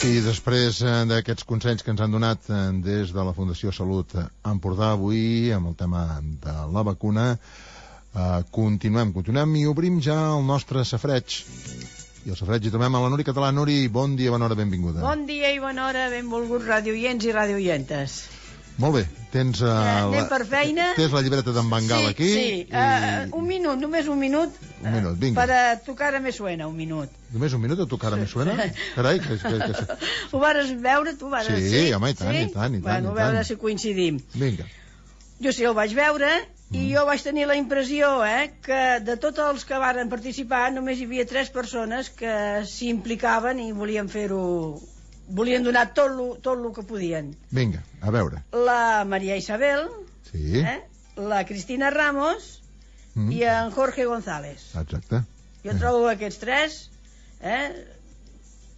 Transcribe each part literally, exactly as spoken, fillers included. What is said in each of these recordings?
I després d'aquests consells que ens han donat des de la Fundació Salut Empordà avui amb el tema de la vacuna, eh, continuem, continuem i obrim ja el nostre safreig. I el safreig hi trobem a la Nuri Català. Nuri, bon dia, bona hora, benvinguda. Bon dia i bona hora, benvolguts radioients i radioientes. Molt bé, tens, uh, eh, anem la, per feina. Tens la llibreta d'en Bengal sí, aquí. Sí, i... uh, un minut, només un minut. Un minut, vinga. Per a tocar a me suena, un minut. Només un minut a tocar a me suena? Carai, que... que, que... Ho vares veure, tu vares... Sí, sí, home, i tant, sí? i tant, i tant. Bueno, i tant. a veure si coincidim. Vinga. Jo sí, el vaig veure i mm. jo vaig tenir la impressió eh, que de tots els que varen participar només hi havia tres persones que s'hi implicaven i volien fer-ho... volien donar tot lo, tot lo que podien. Vinga, a veure. La Maria Isabel, sí. eh, la Cristina Ramos mm. i en Jorge González. Exacte. Jo trobo aquests tres, eh,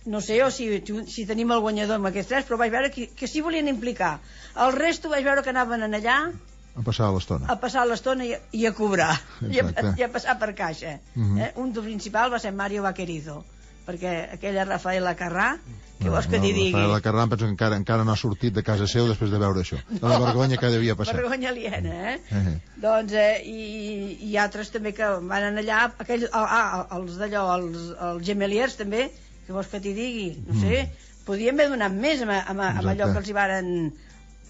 no sé jo si, si tenim el guanyador amb aquests tres, però vaig veure que, que s'hi volien implicar. El resto vaig veure que anaven en allà a passar l'estona. A passar l'estona i, i a cobrar, i a, i a passar per caixa. Mm-hmm. eh? Un del principal va ser Mario Vaquerizo, perquè aquella Rafaela Carrà, què no, vols que no, t'hi digui? Rafaela Carrà, penso que encara, encara no ha sortit de casa seu després de veure això. De la vergonya que devia passar. Vergonya aliena, eh? eh. Doncs, eh, i, i altres també que van anar allà, aquell, ah, els d'allò, els, els gemeliers també, què vols que t'hi digui? No sé, mm. podien haver donat més amb, amb, amb allò que els hi varen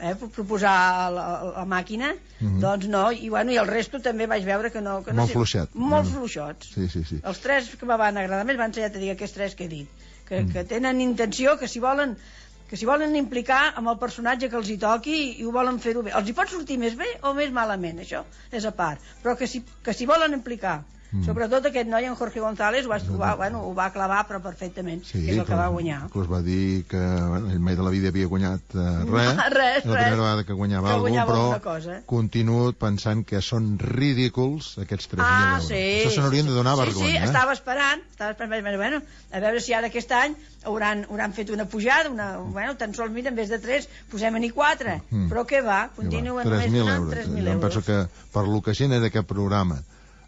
eh, proposar a la, a la màquina, mm-hmm. doncs no, i bueno, i el resto també vaig veure que no... Que no molt sé, fluixat. Molt mm. fluixots. Sí, sí, sí. Els tres que me van agradar més van ser, ja t'he dit, aquests tres que he dit, que, mm. que tenen intenció, que s'hi volen... que s'hi volen implicar amb el personatge que els hi toqui i ho volen fer-ho bé. Els hi pot sortir més bé o més malament, això és a part, però que s'hi que s'hi volen implicar. Mm. Sobretot aquest noi, en Jorge González, ho va, ho, va, bueno, ho va clavar però perfectament, sí, que és el que va guanyar. Inclús va dir que bueno, ell mai de la vida havia guanyat uh, res, no, res, és la primera vegada que guanyava, que algun, guanyava però cosa. continuo pensant que són ridículs aquests tres mil ah, euros. Sí, això se n'haurien de donar sí, vergonya. Sí, sí, eh? estava esperant, estava esperant, bueno, a veure si ara aquest any hauran, hauran fet una pujada, una, bueno, tan sols, mira, en vez de tres, posem-n'hi quatre, mm. però què va, continuen només donant tres mil euros. Em penso que per lo que genera aquest programa,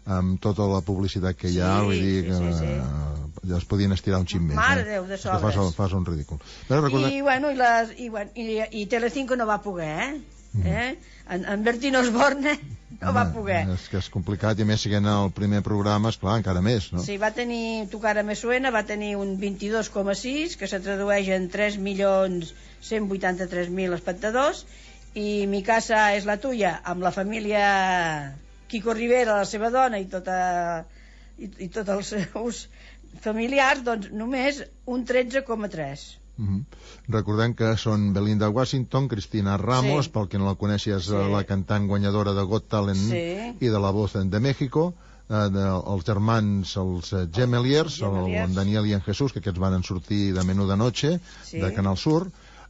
amb tota la publicitat que hi ha, sí, vull dir que sí, sí, sí. ja es podien estirar un xic més. Mare eh? Déu, de sobres. Fas, fas un ridícul. Però recordem... I, bueno, i, les, i, bueno, i, i Telecinco no va poder, eh? Mm. eh? En, en Bertino Osborne no Home, va poder. És que és complicat, i a més, siguent el primer programa, esclar, encara més, no? Sí, va tenir, Tu cara me suena, va tenir un vint-i-dos coma sis, que se tradueix en tres milions cent vuitanta-tres mil espectadors, i Mi casa és la tuya, amb la família Quico Rivera, la seva dona i tota i, i tots els seus familiars, doncs només un tretze coma tres. Mm-hmm. Recordem que són Belinda Washington, Cristina Ramos, sí. pel que no la coneixes, sí. la cantant guanyadora de Got Talent sí. i de La Voz de México, eh, de, els germans, els eh, Gemeliers, el, en Daniel i en Jesús, que aquests van sortir de Menú de Noche, sí. de Canal Sur,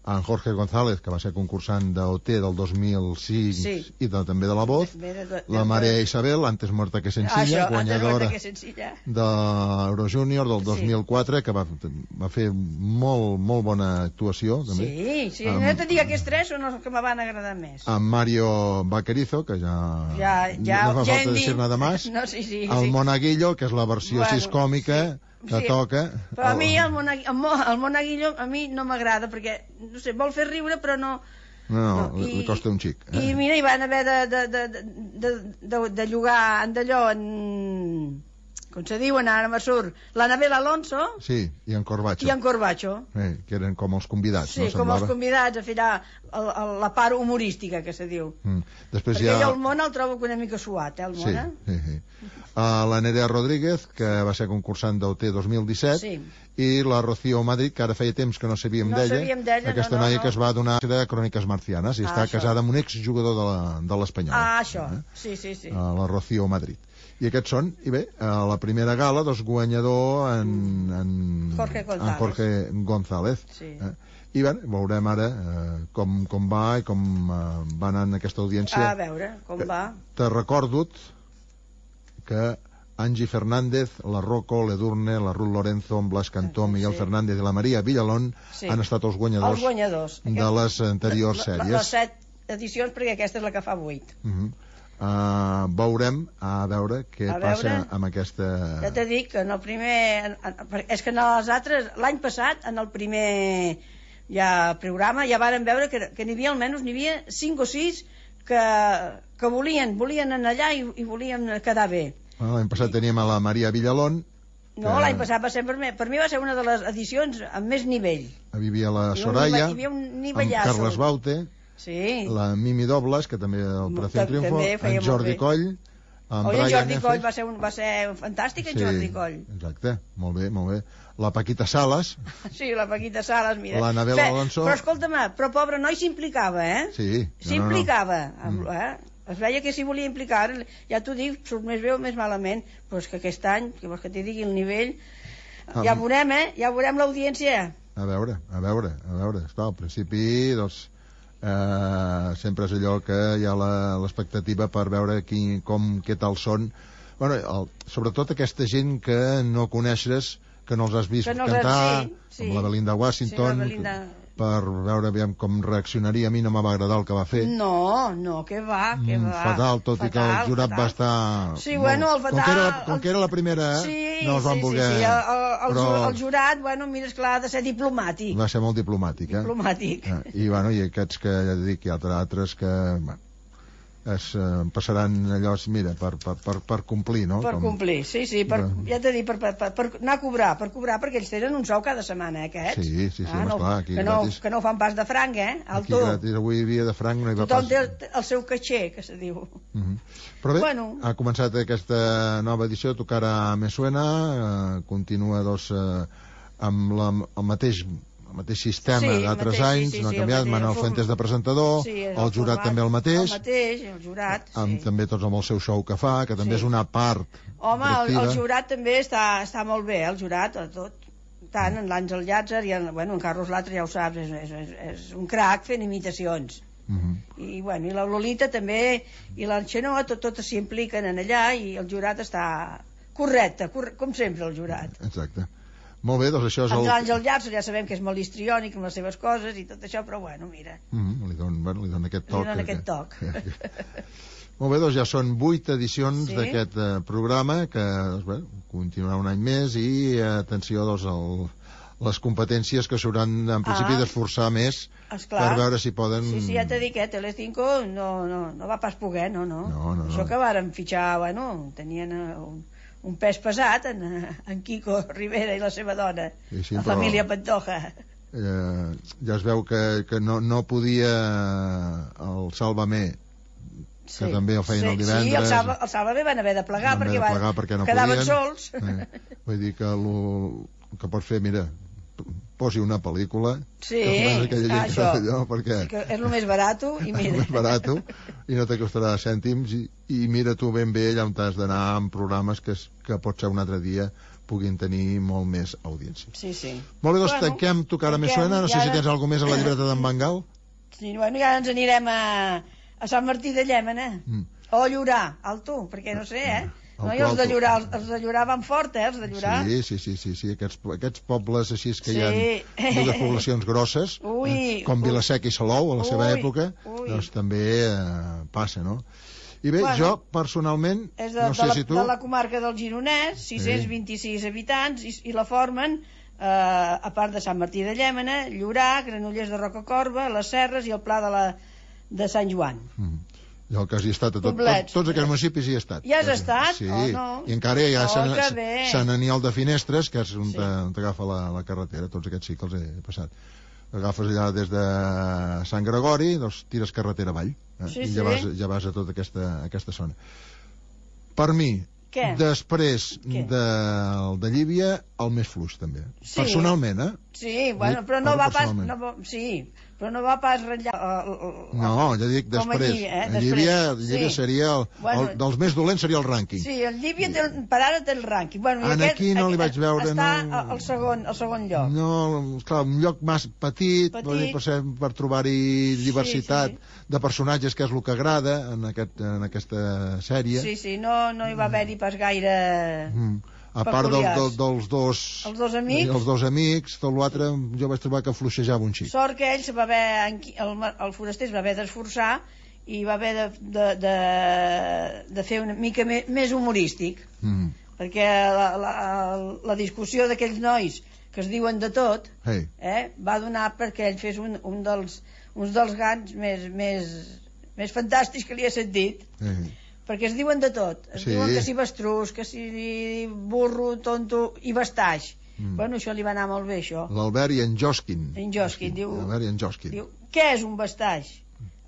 en Jorge González, que va ser concursant d'O T del dos mil cinc sí. i de, també de La Voz, de, de, de, la Maria Isabel, Antes muerta que sencilla, això, guanyadora que sencilla. de l'Eurojúnior del dos mil quatre, sí. que va, va fer molt, molt bona actuació també. Sí, sí, amb, no te dic, aquests tres són els que me van agradar més. Amb Mario Vaquerizo, que ja, ja, ja no fa falta dir nada más, no, sí, sí, el sí. Monaguillo, que és la versió bueno, sis còmica, sí. que sí. toca. Però a mi el, Monaguillo, el Monaguillo a mi no m'agrada, perquè no sé, vol fer riure però no no, no, no. li, I, li costa un xic eh? I mira, hi van haver de, de, de, de, de, de llogar en d'allò en... com se diuen, ara me surt l'Anabel Alonso sí, i en Corbacho, i en Corbacho. Eh, que eren com els convidats, sí, no? com Semblava? Els convidats a fer la, la part humorística que se diu. Mm. Després perquè ja... jo el Mona el trobo una mica suat, eh, el Mona? Sí, sí, sí. Uh, la Nerea Rodríguez, que va ser concursant d'O T dos mil disset, sí. i la Rocío Madrid, que ara feia temps que no sabíem no d'ella, sabíem d'ella, aquesta no, no, noia no. que es va donar de Cròniques Marcianes, i ah, està això. casada amb un exjugador de l'Espanyol. Ah, això, eh? sí, sí, sí. Uh, la Rocío Madrid. I aquests són, i bé, a la primera gala, doncs guanyador en, en, Jorge González. En Jorge González. Sí. Eh? I bé, veurem ara eh, com, com va i com eh, va anar en aquesta audiència. A veure, com va. Te recordo que Angie Fernández, la Rocco, l'Edurne, la Ruth Lorenzo, en Blas Cantó, Miguel sí. Fernández i la Maria Villalón sí. han estat els guanyadors, els guanyadors. de les anteriors sèries. Les set edicions, perquè aquesta és la que fa vuit. Uh -huh. Uh, veurem a veure què a passa veure, amb aquesta... Ja t'he dit que en el primer... És que en els altres, l'any passat, en el primer ja programa, ja varen veure que, que n'hi havia almenys n'hi havia cinc o sis que, que volien, volien anar allà i, i volien quedar bé. Bueno, l'any passat teníem a la Maria Villalón. No, que... l'any passat va ser per mi, per mi va ser una de les edicions amb més nivell. Hi havia la Soraya, hi havia un amb Carles Baute, sí. la Mimi Dobles, que també el Operació Triunfo, en Jordi Coll, en Oi, en Jordi Coll va ser, un, va ser fantàstic, en sí, Jordi Coll. Exacte, molt bé, molt bé. La Paquita Salas. Sí, la Paquita Salas, mira. La Anabel Alonso. Però escolta'm, però pobre noi s'implicava, eh? Sí. S'implicava, no, no. eh? Es veia que s'hi volia implicar, ja t'ho dic, surt més bé o més malament, però és que aquest any, que vols que t'hi digui el nivell, ah, ja veurem, eh? Ja veurem l'audiència. A veure, a veure, a veure. Esclar, al principi, doncs, eh, sempre és allò que hi ha l'expectativa per veure qui, com, què tal són. Bueno, el, sobretot aquesta gent que no coneixes, que no els has vist no cantar, sí, sí. Com la Belinda Washington, sí, la Belinda... per veure aviam com reaccionaria. A mi no me va agradar el que va fer. No, no, què va, què va. Fatal, tot fatal, i que el jurat fatal. Va estar... Sí, bueno, el fatal... Com que era, com que era la primera, eh? Sí, no els van sí, voler... Sí, sí. El, el, però... el jurat, bueno, mira, esclar, ha de ser diplomàtic. Va ser molt diplomàtic, eh? Diplomàtic. Eh, I, bueno, i aquests que, ja dic, hi ha altres que... Bueno, es eh, passaran allò, mira, per, per, per, per complir, no? Per Com... complir, sí, sí, per, no. Ja t'he dit, per, per, per, per anar a cobrar, per cobrar, perquè ells tenen un sou cada setmana, eh, aquests. Sí, sí, sí, ah, no, esclar, aquí que no, gratis. Que no fan pas de franc, eh, al aquí gratis, avui dia de franc no hi va tothom pas... Tothom té el, el seu caixer, que se diu. Uh -huh. Però bé, bueno. Ha començat aquesta nova edició, Tocara Me Suena, eh, continua, doncs, eh, amb la, el mateix... el mateix sistema sí, d'altres anys, sí, sí, no ha sí, canviat, Manuel Fuentes de presentador, sí, el, el jurat format, també el mateix, el mateix, el jurat, amb, sí. també tots amb el seu show que fa, que també sí. És una part home, el, el jurat també està, està molt bé, el jurat, tot, tant en l'Àngel Llàtzer i en, bueno, en Carlos Latre, ja ho saps, és, és, és, és un crac fent imitacions. Uh -huh. I, bueno, i la Lolita també, i l'Anxenoa, tot, totes s'hi impliquen en allà, i el jurat està correcte, correcte, com sempre el jurat. Exacte. Molt bé, doncs això és el... L'Àngel Llàtzer ja sabem que és molt histriònic amb les seves coses i tot això, però bueno, mira. Mm -hmm, li donen bueno, li don aquest toc. Li donen aquest toc. Que, que, que... Molt bé, doncs ja són vuit edicions sí? d'aquest uh, programa que doncs, bé, continuarà un any més i, uh, atenció, doncs, el, les competències que s'hauran en principi ah, d'esforçar més esclar. Per veure si poden... Sí, sí, ja t'he dit que Telecinco no, no, no va pas poder, no, no. no, no això no. que varen fitxar, bueno, tenien un... un pes pesat en, en Quico Rivera i la seva dona, sí, sí, la però, família Pantoja. Eh, ja es veu que, que no, no podia el Sàlvame, que sí, també el feien sí, el divendres. Sí, el, Salva, el Sàlvame van haver de plegar, van perquè, de plegar perquè no quedaven podien. sols. Eh, vull dir que el que pot fer, mira, posi una pel·lícula, sí, ah, això allò, perquè sí, que és el més barat i mira. És el més barat i no te costarà cèntims i, i mira tu ben bé allà on t'has d'anar amb programes que, que pot ser un altre dia puguin tenir molt més audiència. Sí, sí. Molt bé, doncs bueno, tanquem Tocara Me Suena. No sé si tens alguna més a la llibreta d'en Bengal. Sí, bueno, ja ens anirem a, a Sant Martí de Llémena mm. o a Llorar, al tu, perquè no sé, eh? No, i els de Llorar, els, els de Llorar van fort, eh, els de Llorar. Sí, sí, sí, sí, sí. Aquests, aquests pobles així que sí. Hi ha dues poblacions grosses, ui, eh, com ui. Vilaseca i Salou, a la seva ui, època, ui. Doncs també eh, passa, no? I bé, bueno, jo, personalment, és de, no sé de la, si tu... de la comarca del Gironès, sis-cents vint-i-sis sí. habitants, i, i la formen, eh, a part de Sant Martí de Llémena, Llorar, Granollers de Rocacorba, les Serres i el Pla de, la, de Sant Joan. Mm. Jo que hi he estat a tot, tot, tots aquests municipis hi he estat. Hi has estat? Sí, oh, no. I encara hi ha oh, Sant, Sant Aniol de Finestres, que és on sí. t'agafa la, la carretera, tots aquests sí que els he passat. Agafes allà des de Sant Gregori, doncs tires carretera avall, eh? sí, i ja, sí. vas, ja vas a tota aquesta, aquesta zona. Per mi, què? Després Què? De, de Llívia, el més fluix també. Sí. Personalment, eh? Sí, bueno, però no va pas... No, sí, però no va pas ratllar... Uh, uh, no, ja dic després. Allí, eh? després. Llívia, Llívia sí. seria... El, bueno, el, dels més dolents seria el rànquing. Sí, el Llívia té, per ara té el rànquing. Bueno, en aquí no li vaig veure... Està no, al segon, al segon lloc. No, clar, un lloc més petit, petit. Dir, per, ser, per trobar-hi diversitat sí, sí. de personatges, que és el que agrada en, aquest, en aquesta sèrie. Sí, sí, no, no hi va haver-hi pas gaire... Mm. A part del, del, dels dos... Els dos amics. Els dos amics, tot l'altre jo vaig trobar que fluixejava un xic. Sort que ell se va haver, el, el foraster es va haver d'esforçar i va haver de, de, de, de fer una mica més, més humorístic, mm. perquè la, la, la discussió d'aquells nois que es diuen de tot, hey. eh, va donar perquè ell fes un, un dels, uns dels gans més, més, més fantàstics que li he sentit. Hey. Perquè es diuen de tot. Es sí. diuen que si bastrús, que si burro, tonto i bastaix. Mm. Bueno, això li va anar molt bé, això. L'Albert i en Josquin. En Josquin, diu... L'Albert i en Josquin. Diu, què és un bastaix?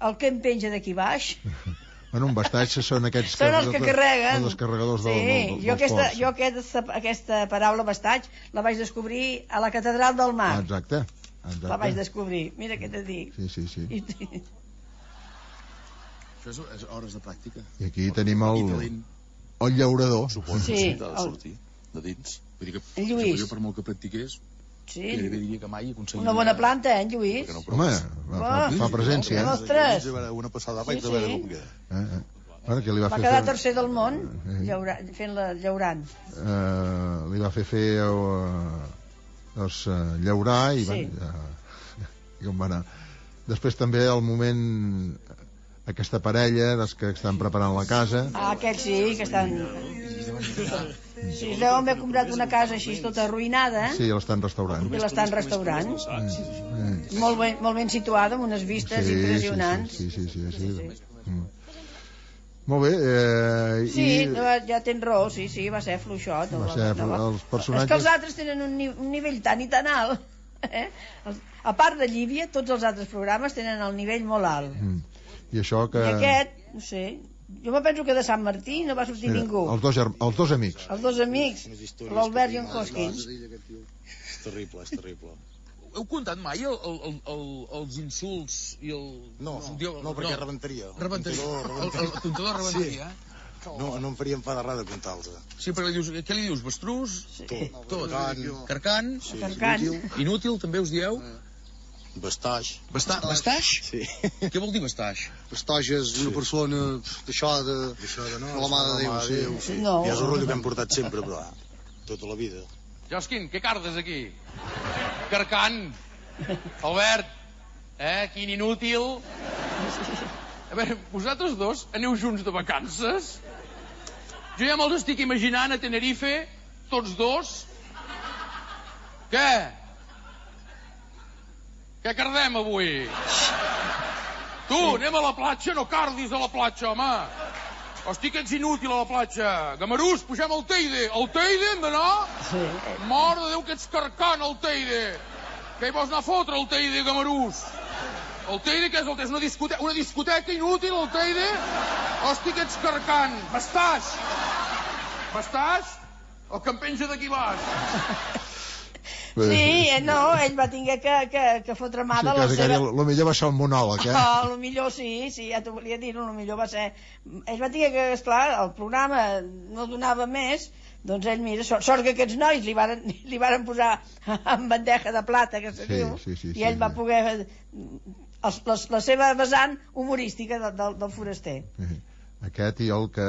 El que em penja d'aquí baix? Bueno, un bastaix són aquests... Són els que carreguen. Els carregadors del, sí, del, del, jo aquesta, ports. Jo aquesta, aquesta paraula bastaix la vaig descobrir a la Catedral del Mar. Ah, exacte. Exacte. La vaig descobrir. Mira què t'he dit. Sí, sí, sí. I... Això és, és hores de pràctica. I aquí tenim el, el llaurador. Suposo sí, que sí, ha de sortir de dins. Vull dir que, en Lluís. Jo, per molt que practiqués, sí. gairebé diria que mai aconseguiria... Una bona planta, eh, en Lluís? No, home, fa, fa presència. No, ostres. Una passada vaig sí, de veure com queda. Eh, eh. Bueno, que li va, va fer quedar fer... tercer del món, eh. llaura... fent-la llaurant. Uh, li va fer fer uh, doncs, uh, llaurar i, sí. va, uh, i com va anar. Després també al moment... aquesta parella dels que estan preparant la casa. Ah, aquests sí, que estan... Sí, es deuen haver comprat una casa així tota arruïnada. Sí, l'estan restaurant. I l'estan restaurant. Mm. Molt, ben, molt ben situada, amb unes vistes sí, impressionants. Sí, sí, sí. sí, sí, sí. sí. Mm. Molt bé. Eh, sí, i... no, ja tens raó, sí, sí, va ser fluixot. Va ser flu... no, els personatges... És que els altres tenen un, ni un nivell tan i tan alt. Eh? A part de Llívia, tots els altres programes tenen el nivell molt alt. Mm. I això que... I aquest, no sé, jo me penso que de Sant Martí no va sortir Mira, ningú. Els dos, els dos amics. Els dos amics, l'Albert i en Josquin. És terrible, és terrible. Heu comptat mai el, el, el, els insults i el... No, no, no perquè no. rebentaria. Rebentaria. El, el comptador rebentaria. Sí. No, no em faria enfadar res de comptar-los. Sí, perquè li dius, què li dius? Bastrús? Sí. Tot. Tot. Carcan. Carcan. Sí. Carcan. Inútil. Inútil, també us dieu? Eh. Bastaix. Basta bastaix? Sí. Què vol dir bastaix? Bastaix és una sí. persona deixada, deixada no, de la mà de Déu. Sí. Déu sí. No. I és el rotllo que hem portat sempre, però tota la vida. Josquin, què cardes aquí? Carcan. Albert. Eh, quin inútil. A veure, vosaltres dos aneu junts de vacances? Jo ja me'ls estic imaginant a Tenerife, tots dos. Què? Què cardem avui? Tu, anem a la platja, no cardis a la platja, home. Hosti, que ets inútil a la platja. Gamarús, pugem al Teide. Al Teide hem d'anar? Sí. Mare de Déu, que ets carcant, al Teide. Què hi vols anar a fotre, al Teide, Gamarús? El Teide, què és el Teide? Una discoteca, una discoteca inútil, el Teide? Hosti, que ets carcant. Bastaix. Bastaix? El que em penja d'aquí baix. Sí, no, ell va tinguer que, que, que fotre mà sí, de la seva... El millor va ser el monòleg, eh? Oh, el millor sí, sí, ja t'ho volia dir, el millor va ser... Ell va tinguer que, esclar, el programa no donava més, doncs ell, mira, sort, sort que aquests nois li varen, li varen posar en bandeja de plata, que se sí, diu, sí, sí, i ell sí, va sí. poder... Els, les, la seva vessant humorística de, de, del foraster. Sí. Aquest i el que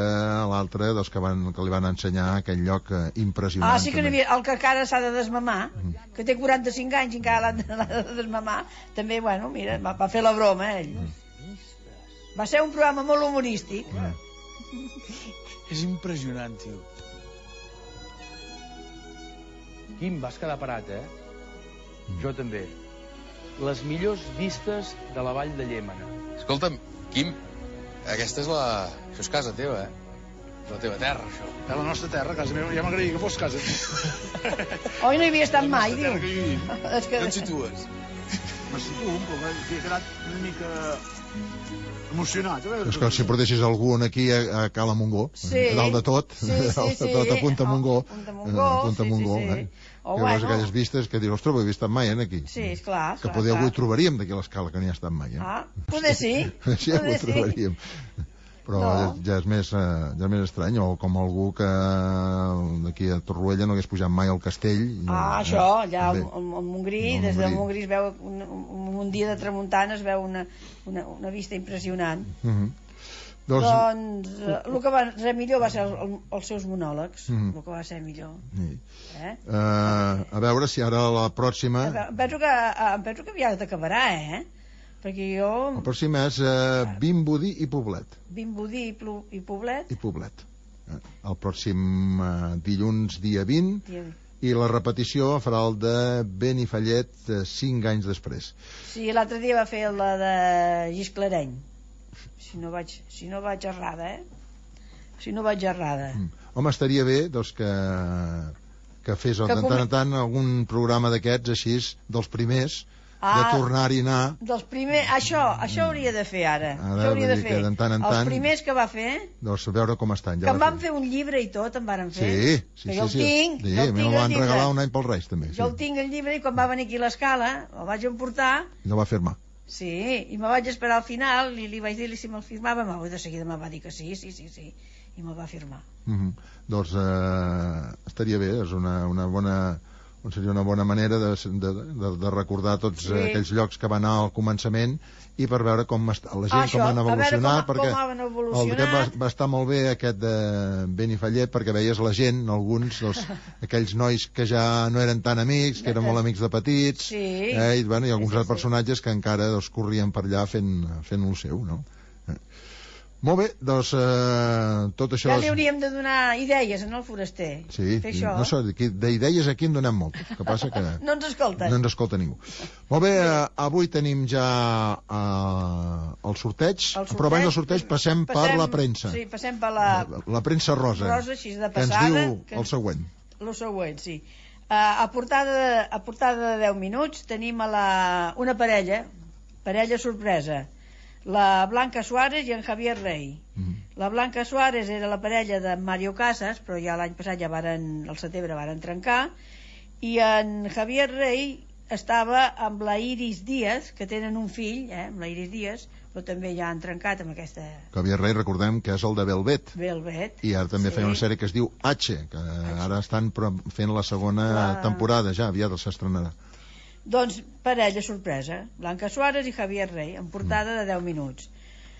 l'altre doncs, que, van, que li van ensenyar aquell lloc eh, impressionant. Ah, sí que n'hi havia, el que encara s'ha de desmamar, mm. que té quaranta-cinc anys i encara l'ha de desmamar, també, bueno, mira, va, va fer la broma, ell. Mm. Va ser un programa molt humorístic. Mm. És impressionant, tio. Quim, vas quedar parat, eh? Mm. Jo també. Les millors vistes de la vall de Llémena. Escolta'm, Quim, aquesta és la... Això és casa teva, eh? És la teva terra, això. És la nostra terra, casa meva. Ja m'agradaria que fos casa teva. Oi, no hi havia estat mai, diu. Que és que... No et situes? Me situo, però he quedat una mica emocionat. És que si portessis algú aquí a, a Cala Montgó, sí. a dalt de tot, sí, sí, a dalt de tot, a Punta Montgó, a Punta Montgó, a Punta Montgó, sí, sí, sí. eh? Oh, que bueno. veus aquelles vistes que dius, ostres, ho he vist mai, eh, aquí. Sí, esclar. Que poder avui trobaríem d'aquí a l'escala, que n'hi ha estat mai, eh? Ah, poder sí. Sí, poder ho trobaríem. Però no. ja, ja, és més, ja és més estrany, o com algú que d'aquí a Torroella no hagués pujat mai al castell. No, ah, això, allà al no, Montgrí, des del Montgrí es veu, un, un dia de tramuntana es veu una, una, una vista impressionant. Uh -huh. Doncs, doncs el que va ser millor va ser el, el, els seus monòlegs, mm. el que va ser millor. Sí. Eh? Uh, a veure si ara la pròxima... Em penso que, em penso que aviat acabarà, eh? perquè jo... El pròxim és uh, Vimbodí i Poblet. Vimbodí i, Plu... i Poblet. I Poblet. El pròxim uh, dilluns, dia vint, dia... i la repetició farà el de Benifallet uh, cinc anys després. Sí, l'altre dia va fer la de Gisclareny. Si no vaig, si no vaig errada, eh? Si no vaig errada. Mm. Home, estaria bé, doncs, que, que fes de tant en tant algun programa d'aquests, així, dels primers, ah, de tornar-hi a anar. Dels primers, això, això hauria de fer ara. Ara, això hauria de fer. De tant en tant, els primers que va fer... Doncs veure com estan. Ja que em van fer un llibre i tot, em van fer. Sí, sí, sí. Jo el sí. tinc. Sí, jo el tinc me'l van regalar un any pels Reis, també. Jo sí. el tinc, el llibre, i quan va venir aquí a l'Escala, el vaig emportar... I no va firmar. Sí, i me vaig esperar al final, i li vaig dir si me'l firmava, i de seguida me va dir que sí, sí, sí, sí. I me'l va firmar. Mm -hmm. Doncs eh, estaria bé, és una, una bona, seria una bona manera de, de, de, de recordar tots sí. aquells llocs que van anar al començament i per veure com està, la gent ah, com van evolucionar, com, perquè com evolucionar. el va, va estar molt bé aquest de Benifallet, perquè veies la gent, alguns doncs, aquells nois que ja no eren tan amics, que eren molt amics de petits, sí. eh, i, bueno, i alguns sí, sí, personatges sí. que encara doncs, corrien per allà fent, fent el seu, no? Molt bé, doncs eh, tot això... Ja li hauríem de donar idees en el foraster. Sí, no sé, d'idees aquí en donem molt. El que passa que... no ens escolten. No ens escolta ningú. Molt bé, eh, avui tenim ja eh, el, sorteig, el sorteig, però abans del sorteig passem, passem per la premsa. Sí, passem per la... La, la premsa rosa, rosa així de passada, que ens diu que... el següent. El següent, sí. Uh, a, portada, a portada de deu minuts tenim a la, una parella, parella sorpresa, la Blanca Suárez i en Javier Rey. Mm. La Blanca Suárez era la parella de Mario Casas, però ja l'any passat ja varen, al setembre varen trencar, i en Javier Rey estava amb la Iris Díaz, que tenen un fill, eh, amb la Iris Díaz, però també ja han trencat amb aquesta... Javier Rey, recordem que és el de Velvet. Velvet. I ara també sí. feia una sèrie que es diu H, que H. ara estan fent la segona la... temporada, ja aviat s'estrenarà. Doncs parella sorpresa, Blanca Suárez i Javier Rey, en portada de deu minuts.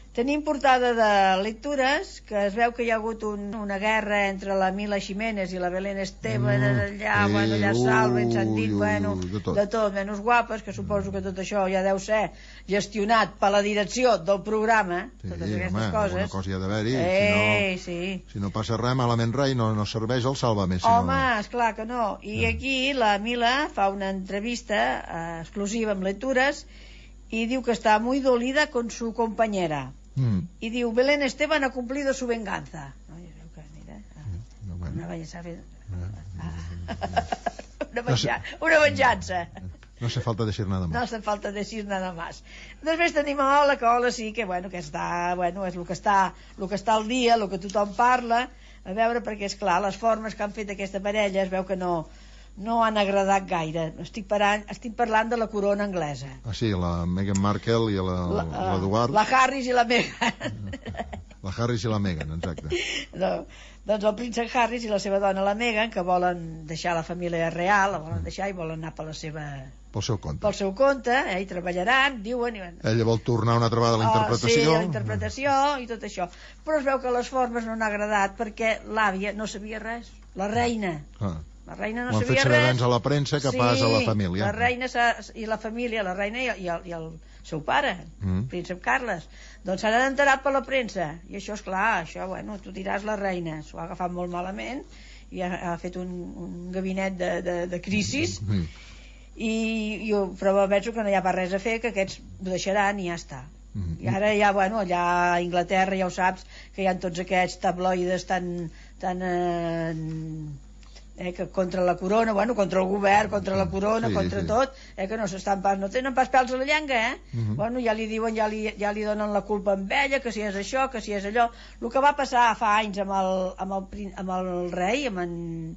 Tenim portada de lectures, que es veu que hi ha hagut un, una guerra entre la Mila Jiménez i la Belén Esteban, mm, allà, eh, bueno, allà salven, s'han dit, bueno, de tot. de tot, menys guapes, que suposo que tot això ja deu ser gestionat per la direcció del programa, sí, totes aquestes home, coses. Alguna cosa hi ha d'haver-hi, eh, si, no, sí. si no passa res, malament rai, no, no serveix el Sálvame. Si home, no... esclar que no. I eh. aquí la Mila fa una entrevista eh, exclusiva amb lectures i diu que està muy dolida con su compañera. Mm. Y diu, Belén Esteban ha cumplido su venganza. No, que, mira, no, bueno. una, venganza, una, venja, una venjanza. No hace falta decir nada más. No hace falta decir nada más. Després tenim a Ola, que Ola sí que, bueno, que està, bueno, és el que està, el que està al dia, el que tothom parla, a veure, perquè és clar, les formes que han fet aquesta parella es veu que no no han agradat gaire. Estic, parant, estic parlant de la corona anglesa. Ah, sí, la Meghan Markle i l'Eduard. La, la Harris i la Meghan. La Harris i la Meghan, exacte. No, doncs el príncep Harris i la seva dona, la Meghan, que volen deixar la família real, la volen deixar i volen anar per la seva... Pel seu compte. Pel seu compte, eh, i treballaran, diuen... I... Ella vol tornar una altra vegada a la interpretació. Oh, sí, a la interpretació i tot això. Però es veu que les formes no han agradat perquè l'àvia no sabia res. La reina. Ah. La reina no sabia res. Ho han fet a la premsa que sí, pas a la família. La reina i la família, la reina i el, i el seu pare, mm. príncep Carles, doncs s'han enterat per la premsa. I això, és clar, això, bueno, tu diràs la reina. S'ho ha agafat molt malament i ha, ha fet un, un gabinet de, de, de crisis. Mm. I, i però penso que no hi ha pas res a fer, que aquests ho deixaran i ja està. Mm. I ara ja, bueno, allà a Anglaterra ja ho saps, que hi ha tots aquests tabloides tan... tan eh, Eh, que contra la corona, bueno, contra el govern, contra la corona, sí, contra sí. tot, eh, que no s'estan pas, no tenen pas pèls a la llengua, eh? Uh -huh. Bueno, ja li diuen, ja li, ja li donen la culpa amb ella, que si és això, que si és allò. El que va passar fa anys amb el, amb el, amb el rei, amb en...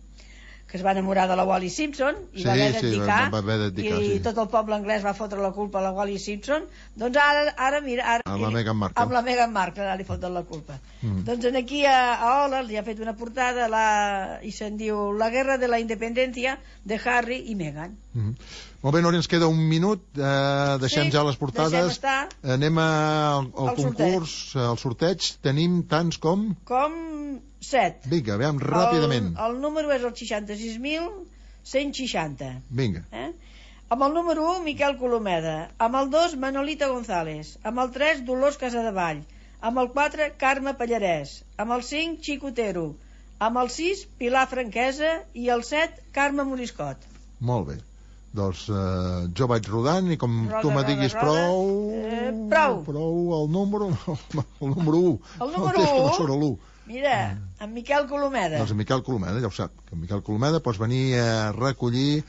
que es va enamorar de la Wally Simpson i sí, va haver d'abdicar, sí, va haver d'abdicar i sí. tot el poble anglès va fotre la culpa a la Wally Simpson. Doncs ara, ara mira... Ara, amb la Meghan Markle. Amb la Meghan Markle, ara li foten la culpa. Mm. Doncs aquí a, a Ola li ha fet una portada la, i se'n diu La guerra de la independencia de Harry i Meghan. Mm. Molt bé, Nori, ens queda un minut, eh, deixem sí, ja les portades, anem al, al concurs, sorteig. Al sorteig, tenim tants com... Com set. Vinga, veiem ràpidament. El, el número és el seixanta-sis mil cent seixanta. Vinga. Eh? Amb el número u, Miquel Colomeda. Amb el dos, Manolita González. Amb el tres, Dolors Casadevall. Amb el quatre, Carme Pallarès. Amb el cinc, Xico Otero. Amb el sis, Pilar Franquesa. I el set, Carme Moriscot. Molt bé. Doncs eh, jo vaig rodant i com roda, tu me diguis roda, prou... Eh, prou. Prou el número... El número u. El número u? No surt l'u. Mira, en Miquel Colomeda. Doncs en Miquel Colomeda, ja ho sap. Que en Miquel Colomeda pots venir a recollir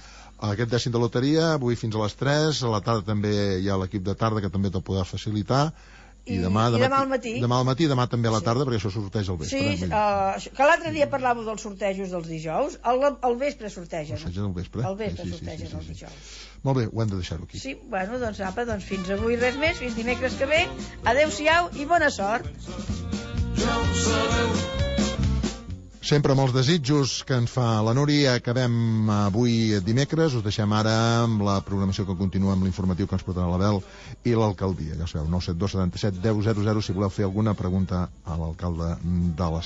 aquest dècim de loteria avui fins a les tres. A la tarda també hi ha l'equip de tarda que també te'l podrà facilitar. I, I, demà, i demà, demà al matí. Demà al matí i demà també a la Sí. tarda, perquè això sorteja al vespre. Sí, uh, que l'altre dia parlàveu dels sortejos dels dijous. Al, al vespre sortegen. Sortegen al vespre? Al vespre Sí, sí, sí, sortegen sí, sí, els sí. dijous. Molt bé, ho hem de deixar-ho aquí. Sí, bueno, doncs apa, doncs fins avui res més, fins dimecres que ve. Adéu-siau i bona sort. Sempre amb els desitjos que ens fa la Núria. Acabem avui dimecres. Us deixem ara amb la programació que continua amb l'informatiu que ens portarà l'Abel i l'alcaldia. Ja sabeu, nou set dos setanta set deu zero zero si voleu fer alguna pregunta a l'alcalde de la